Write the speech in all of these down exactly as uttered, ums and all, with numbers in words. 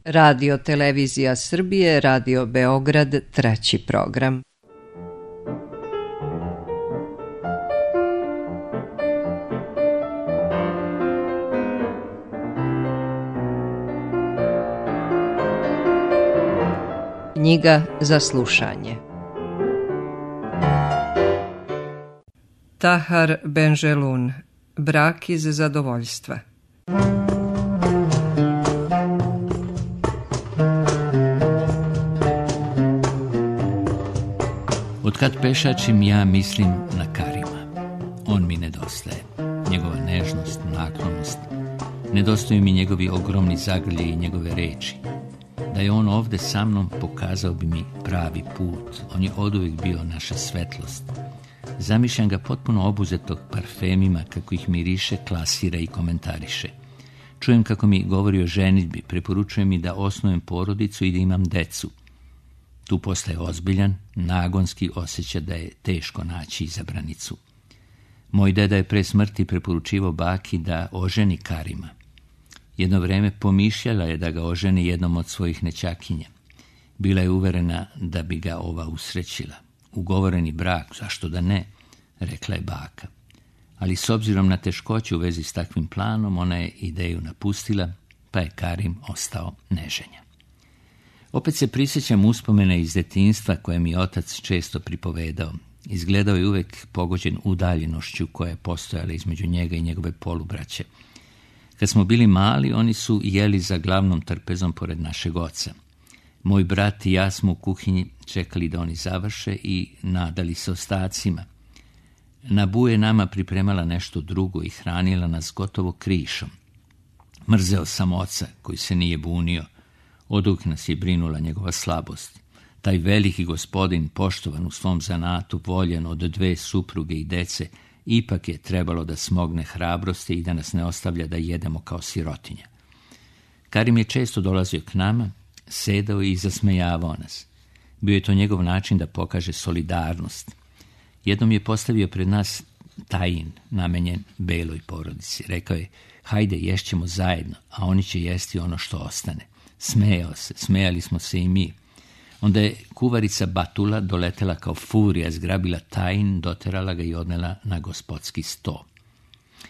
Radio Televizija Srbije, Radio Beograd, treći program. Knjiga za slušanje. Tahar Benjelun, Brak iz zadovoljstva. Otkad pešačim, ja mislim na Karima. On mi nedostaje. Njegova nežnost, naklonost. Nedostaju mi njegovi ogromni zagrlje i njegove reči. Da je on ovde sa mnom, pokazao bi mi pravi put. On je oduvijek bio naša svetlost. Zamišljam ga potpuno obuzetog parfemima, kako ih miriše, klasira i komentariše. Čujem kako mi govori o ženidbi, preporučuje mi da osnujem porodicu i da imam decu. Tu postaje ozbiljan, nagonski osjeća da je teško naći izabranicu. Moj deda je pre smrti preporučivao baki da oženi Karima. Jedno vreme pomišljala je da ga oženi jednom od svojih nećakinja. Bila je uverena da bi ga ova usrećila. Ugovoreni brak, zašto da ne, rekla je baka. Ali s obzirom na teškoće u vezi s takvim planom, ona je ideju napustila, pa je Karim ostao neženja. Opet se prisjećam uspomene iz detinjstva koje mi otac često pripovedao. Izgledao je uvek pogođen udaljenošću koja je postojala između njega i njegove polubraće. Kad smo bili mali, oni su jeli za glavnom trpezom pored našeg oca. Moj brat i ja smo u kuhinji čekali da oni završe i nadali se ostacima. Nabu je nama pripremala nešto drugo i hranila nas gotovo krišom. Mrzeo sam oca koji se nije bunio. Oduvijek nas je brinula njegova slabost. Taj veliki gospodin, poštovan u svom zanatu, voljen od dve supruge i dece, ipak je trebalo da smogne hrabrosti i da nas ne ostavlja da jedemo kao sirotinja. Karim je često dolazio k nama, sedao i zasmejavao nas. Bio je to njegov način da pokaže solidarnost. Jednom je postavio pred nas tajin namenjen beloj porodici. Rekao je, hajde, ješćemo zajedno, a oni će jesti ono što ostane. Smejao se, smejali smo se i mi. Onda je kuvarica Batula doletela kao furija, zgrabila tajin, doterala ga i odnela na gospodski sto.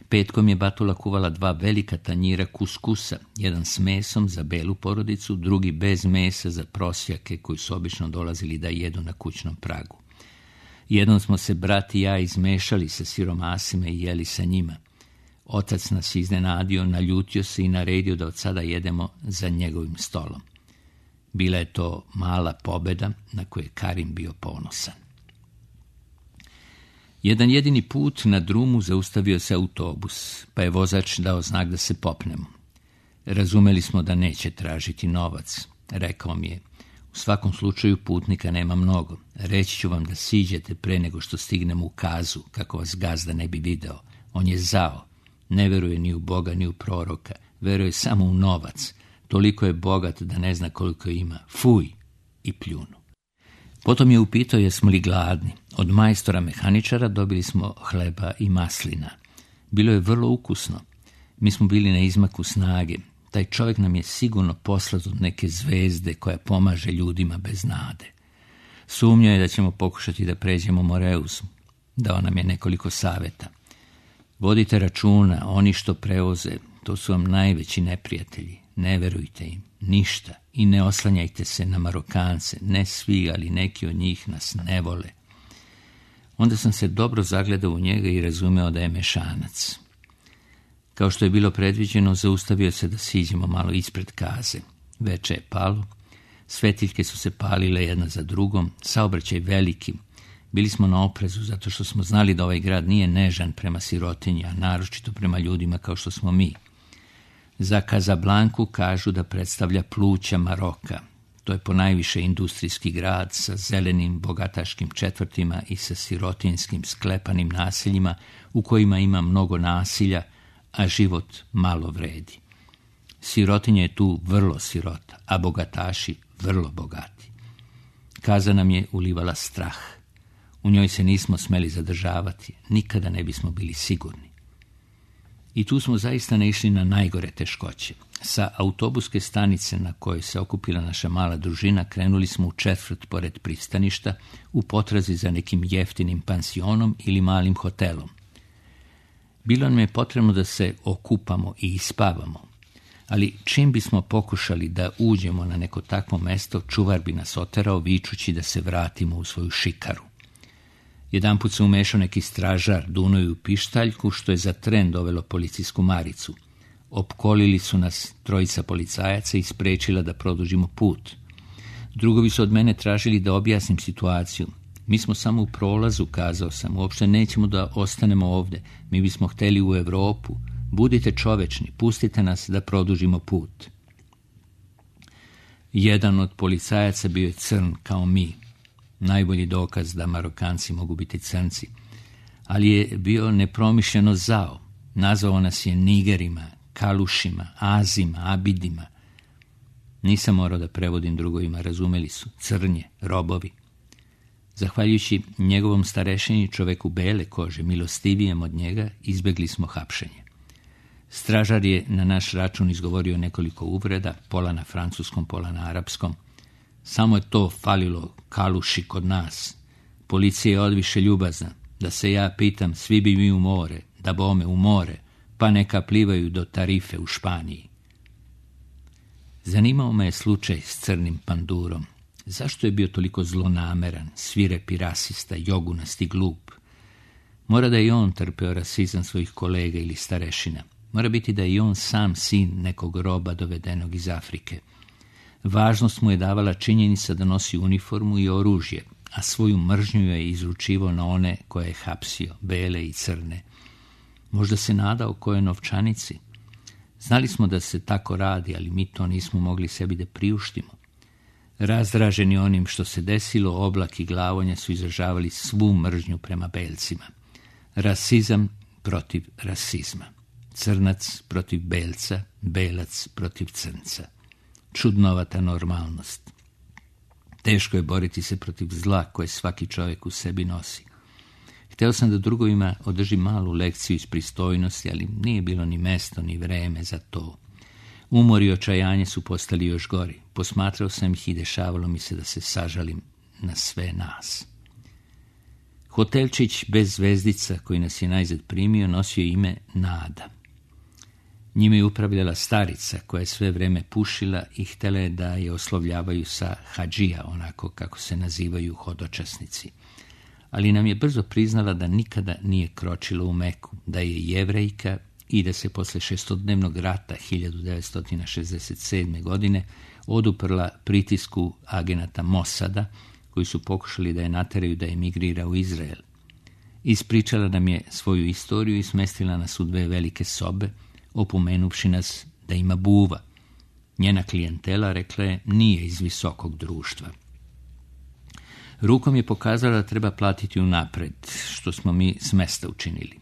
Petkom je Batula kuvala dva velika tanjira kuskusa, jedan s mesom za belu porodicu, drugi bez mesa za prosjake koji su obično dolazili da jedu na kućnom pragu. Jednom smo se brat i ja izmešali sa siromasima i jeli sa njima. Otac nas iznenadio, naljutio se i naredio da od sada jedemo za njegovim stolom. Bila je to mala pobeda na koju je Karim bio ponosan. Jedan jedini put na drumu zaustavio se autobus, pa je vozač dao znak da se popnemo. Razumeli smo da neće tražiti novac. Rekao mi je, u svakom slučaju putnika nema mnogo. Reći ću vam da siđete pre nego što stignemo u Kazu, kako vas gazda ne bi video. On je zao. Ne veruje ni u Boga ni u proroka. Veruje samo u novac. Toliko je bogat da ne zna koliko ima. Fuj! I pljunu. Potom je upitao jesmo li gladni. Od majstora mehaničara dobili smo hleba i maslina. Bilo je vrlo ukusno. Mi smo bili na izmaku snage. Taj čovjek nam je sigurno poslat od neke zvezde koja pomaže ljudima bez nade. Sumnjao je da ćemo pokušati da pređemo Moreus. Dao nam je nekoliko savjeta. Vodite računa, oni što prevoze, to su vam najveći neprijatelji. Ne verujte im, ništa, i ne oslanjajte se na Marokance, ne svi, ali neki od njih nas ne vole. Onda sam se dobro zagledao u njega i razumeo da je mešanac. Kao što je bilo predviđeno, zaustavio se da siđemo malo ispred Kaze. Veče je palo, svetiljke su se palile jedna za drugom, saobraćaj veliki. Bili smo na oprezu zato što smo znali da ovaj grad nije nežan prema sirotinji, a naročito prema ljudima kao što smo mi. Za Kazablanku kažu da predstavlja pluća Maroka. To je ponajviše industrijski grad sa zelenim bogataškim četvrtima i sa sirotinskim sklepanim naseljima u kojima ima mnogo nasilja, a život malo vredi. Sirotinja je tu vrlo sirota, a bogataši vrlo bogati. Kaza nam je ulivala strah. U njoj se nismo smeli zadržavati, nikada ne bismo bili sigurni. I tu smo zaista naišli na najgore teškoće. Sa autobuske stanice na kojoj se okupila naša mala družina krenuli smo u četvrt pored pristaništa u potrazi za nekim jeftinim pansionom ili malim hotelom. Bilo nam je potrebno da se okupamo i ispavamo, ali čim bismo pokušali da uđemo na neko takvo mesto, čuvar bi nas oterao vičući da se vratimo u svoju šikaru. Jedanput se umešao neki stražar Dunoju u pištaljku, što je za tren dovelo policijsku maricu. Opkolili su nas trojica policajaca i sprečila da produžimo put. Drugovi su od mene tražili da objasnim situaciju. Mi smo samo u prolazu, kazao sam, uopšte nećemo da ostanemo ovde. Mi bismo hteli u Evropu. Budite čovečni, pustite nas da produžimo put. Jedan od policajaca bio je crn kao mi. Najbolji dokaz da Marokanci mogu biti crnci. Ali je bio nepromišljeno zao. Nazvao nas je nigerima, kalušima, azima, abidima. Nisam morao da prevodim drugovima, razumeli su. Crnje, robovi. Zahvaljujući njegovom starešini, čoveku bele kože, milostivijem od njega, izbegli smo hapšenje. Stražar je na naš račun izgovorio nekoliko uvreda, pola na francuskom, pola na arapskom. Samo je to falilo kaluši kod nas. Policija je odviše ljubazna. Da se ja pitam, svi bi mi u more, da bome u more, pa neka plivaju do Tarife u Španiji. Zanimao me je slučaj s crnim pandurom. Zašto je bio toliko zlonameran, svirepi rasista, jogunast i glup? Mora da je i on trpeo rasizam svojih kolega ili starešina. Mora biti da je i on sam sin nekog roba dovedenog iz Afrike. Važnost mu je davala činjenica da nosi uniformu i oružje, a svoju mržnju je izručivao na one koje je hapsio, bele i crne. Možda se nadao kojoj novčanici. Znali smo da se tako radi, ali mi to nismo mogli sebi da priuštimo. Razdraženi onim što se desilo, Oblak i Glavonja su izražavali svu mržnju prema belcima. Rasizam protiv rasizma. Crnac protiv belca, belac protiv crnca. Čudnovata normalnost. Teško je boriti se protiv zla koje svaki čovjek u sebi nosi. Hteo sam da drugovima održim malu lekciju iz pristojnosti, ali nije bilo ni mesto ni vreme za to. Umor i očajanje su postali još gori. Posmatrao sam ih i dešavalo mi se da se sažalim na sve nas. Hotelčić bez zvezdica koji nas je najzad primio nosio ime Nada. Njime je upravljala starica koja je sve vreme pušila i htjela je da je oslovljavaju sa hadžija, onako kako se nazivaju hodočasnici. Ali nam je brzo priznala da nikada nije kročila u Meku, da je Jevrejka i da se posle šestodnevnog rata hiljadu devetsto šezdeset sedme. godine oduprla pritisku agenata Mosada, koji su pokušali da je nateraju da emigrira u Izrael. Ispričala nam je svoju istoriju i smestila nas u dve velike sobe, opomenuvši nas da ima buva. Njena klijentela, rekla je, nije iz visokog društva. Rukom je pokazala da treba platiti unapred, što smo mi s mesta učinili.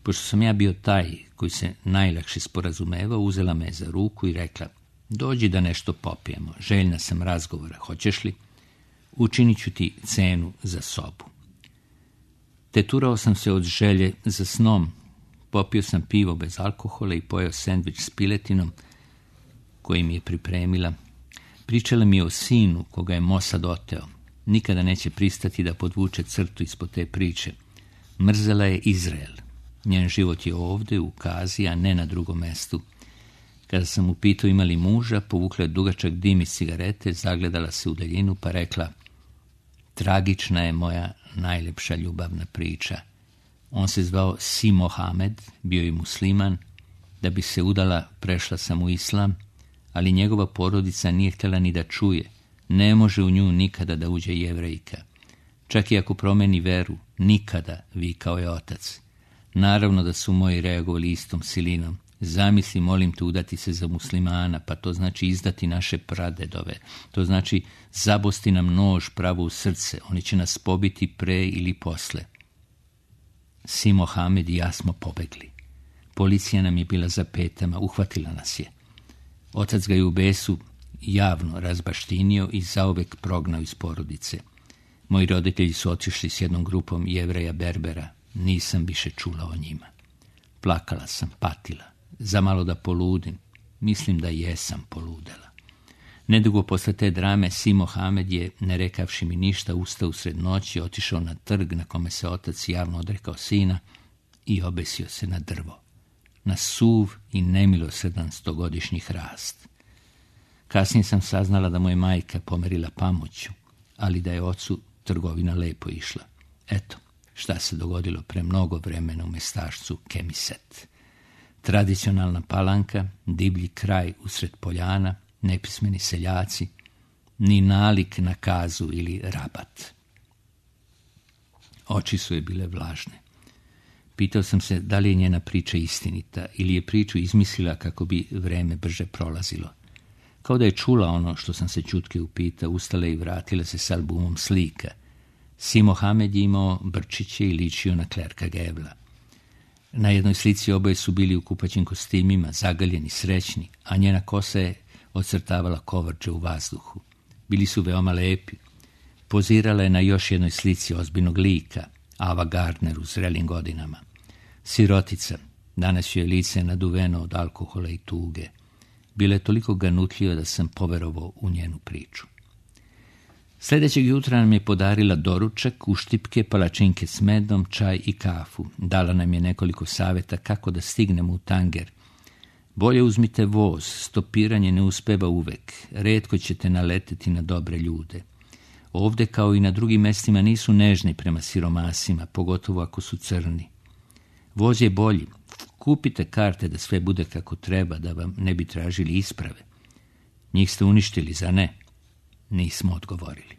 Pošto sam ja bio taj koji se najlakše sporazumevao, uzela me za ruku i rekla, dođi da nešto popijemo, željna sam razgovora, hoćeš li? Učinit ću ti cenu za sobu. Teturao sam se od želje za snom, popio sam pivo bez alkohola i pojeo sendvič s piletinom koji mi je pripremila. Pričala mi je o sinu koga je Mosad oteo. Nikada neće pristati da podvuče crtu ispod te priče. Mrzela je Izrael. Njen život je ovde, u Kazi, a ne na drugom mestu. Kada sam upitao ima li muža, povukla je dugačak dim iz cigarete, zagledala se u daljinu pa rekla, tragična je moja najlepša ljubavna priča. On se zvao Si Mohamed, bio je musliman. Da bi se udala, prešla sam u islam, ali njegova porodica nije htjela ni da čuje. Ne može u nju nikada da uđe Jevrejka. Čak i ako promeni veru, nikada, vikao je otac. Naravno da su moji reagovali istom silinom. Zamisli, molim te, udati se za muslimana, pa to znači izdati naše pradedove. To znači zabosti nam nož pravo u srce. Oni će nas pobiti pre ili posle. Si Mohamed i ja smo pobegli. Policija nam je bila za petama, uhvatila nas je. Otac ga je u besu javno razbaštinio i zauvek prognao iz porodice. Moji roditelji su otišli s jednom grupom Jevreja Berbera. Nisam više čula o njima. plakala sam, patila. Zamalo da poludim. Mislim da jesam poludela. Nedugo posle te drame Simo Hamed je, ne rekavši mi ništa, ustao usred noći, otišao na trg na kome se otac javno odrekao sina i obesio se na drvo. Na suv i nemilosredan stogodišnji hrast. Kasnije sam saznala da mu je majka pomerila pamuću, ali da je ocu trgovina lepo išla. Eto, šta se dogodilo pre mnogo vremena u mestašcu Kemiset. Tradicionalna palanka, divlji kraj usred poljana, nepismeni seljaci, ni nalik na kazu ili rabat. Oči su je bile vlažne. Pitao sam se da li je njena priča istinita ili je priču izmislila kako bi vreme brže prolazilo. Kao da je čula ono što sam se ćutke upitao, ustala i vratila se s albumom slika. Simo Hamed je imao brčiće i ličio na Klerka Gebla. Na jednoj slici oboje su bili u kupaćim kostimima, zagaljeni, srećni, a njena kosa je ocrtavala kovrđe u vazduhu. Bili su veoma lepi. Pozirala je na još jednoj slici ozbiljnog lika, Ava Gardner u zrelim godinama. Sirotica, danas joj je lice naduveno od alkohola i tuge. Bila je toliko ganutljiva da sam poverovao u njenu priču. Sljedećeg jutra nam je podarila doručak, uštipke, palačinke s medom, čaj i kafu. Dala nam je nekoliko savjeta kako da stignemo u Tanger. Bolje uzmite voz, stopiranje ne uspeva uvek, retko ćete naleteti na dobre ljude. Ovde, kao i na drugim mestima, nisu nežni prema siromasima, pogotovo ako su crni. Voz je bolji. Kupite karte da sve bude kako treba, da vam ne bi tražili isprave. Njih ste uništili, za ne? Nismo odgovorili.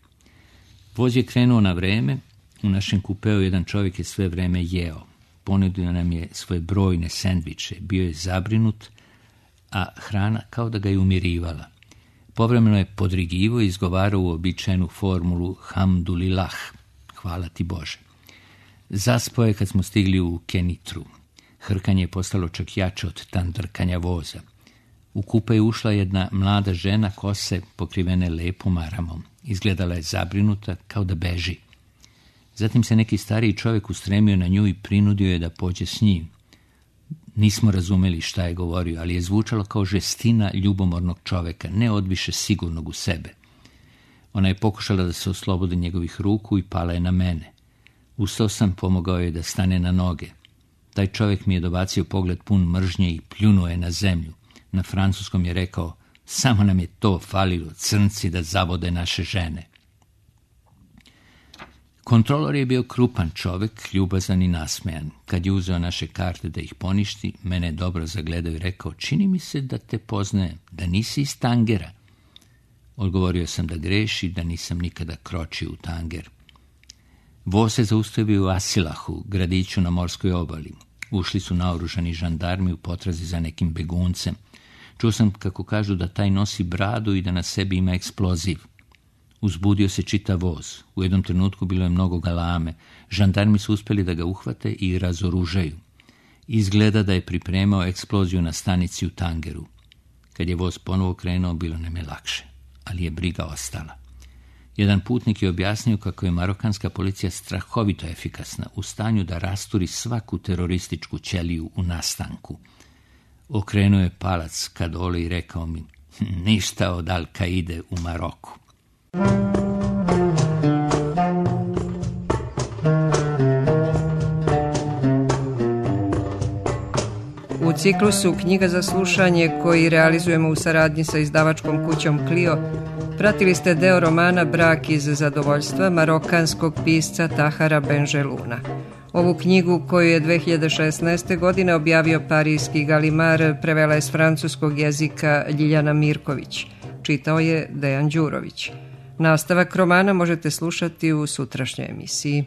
Voz je krenuo na vreme. U našem kupeu jedan čovjek je sve vreme jeo. Ponudio nam je svoje brojne sendviče. Bio je zabrinut, a hrana kao da ga je umirivala. Povremeno je podrigivo i izgovarao uobičajenu formulu Hamdulillah, hvala ti Bože. Zaspao je kad smo stigli u Kenitru. Hrkanje je postalo čak jače od tandrkanja voza. U kupe je ušla jedna mlada žena, kose pokrivene lepom aramom. Izgledala je zabrinuta, kao da beži. Zatim se neki stariji čovjek ustremio na nju i prinudio je da pođe s njim. Nismo razumeli šta je govorio, ali je zvučalo kao žestina ljubomornog čovjeka, ne odviše sigurnog u sebe. Ona je pokušala da se oslobodi njegovih ruku i pala je na mene. Ustao sam, pomogao je da stane na noge. Taj čovjek mi je dobacio pogled pun mržnje i pljunuo je na zemlju. Na francuskom je rekao, samo nam je to falilo, crnci da zavode naše žene. Kontrolor je bio krupan čovjek, ljubazan i nasmejan. Kad je uzeo naše karte da ih poništi, mene je dobro zagledao i rekao, čini mi se da te poznajem, da nisi iz Tangera. Odgovorio sam da greši, da nisam nikada kročio u Tanger. Voz se zaustavio u Asilahu, gradiću na morskoj obali. Ušli su naoružani žandarmi u potrazi za nekim beguncem. Čuo sam kako kažu da taj nosi bradu i da na sebi ima eksploziv. Uzbudio se čitav voz. U jednom trenutku bilo je mnogo galame. Žandarmi su uspjeli da ga uhvate i razoružaju. Izgleda da je pripremao eksploziju na stanici u Tangeru. Kad je voz ponovo krenuo, bilo nam je lakše, ali je briga ostala. Jedan putnik je objasnio kako je marokanska policija strahovito efikasna, u stanju da rasturi svaku terorističku ćeliju u nastanku. Okrenuo je palac ka dole i rekao mi, ništa od Al-Kaide u Maroku. U ciklusu Knjiga za slušanje, koji realizujemo u saradnji sa izdavačkom kućom Clio, pratili ste deo romana Brak iz zadovoljstva marokanskog pisca Tahara Benjeluna. Ovu knjigu, koju je dve hiljade šesnaeste. godine objavio parijski Galimar, prevela je s francuskog jezika Ljiljana Mirković. Čitao je Dejan Đurović. Nastavak romana možete slušati u sutrašnjoj emisiji.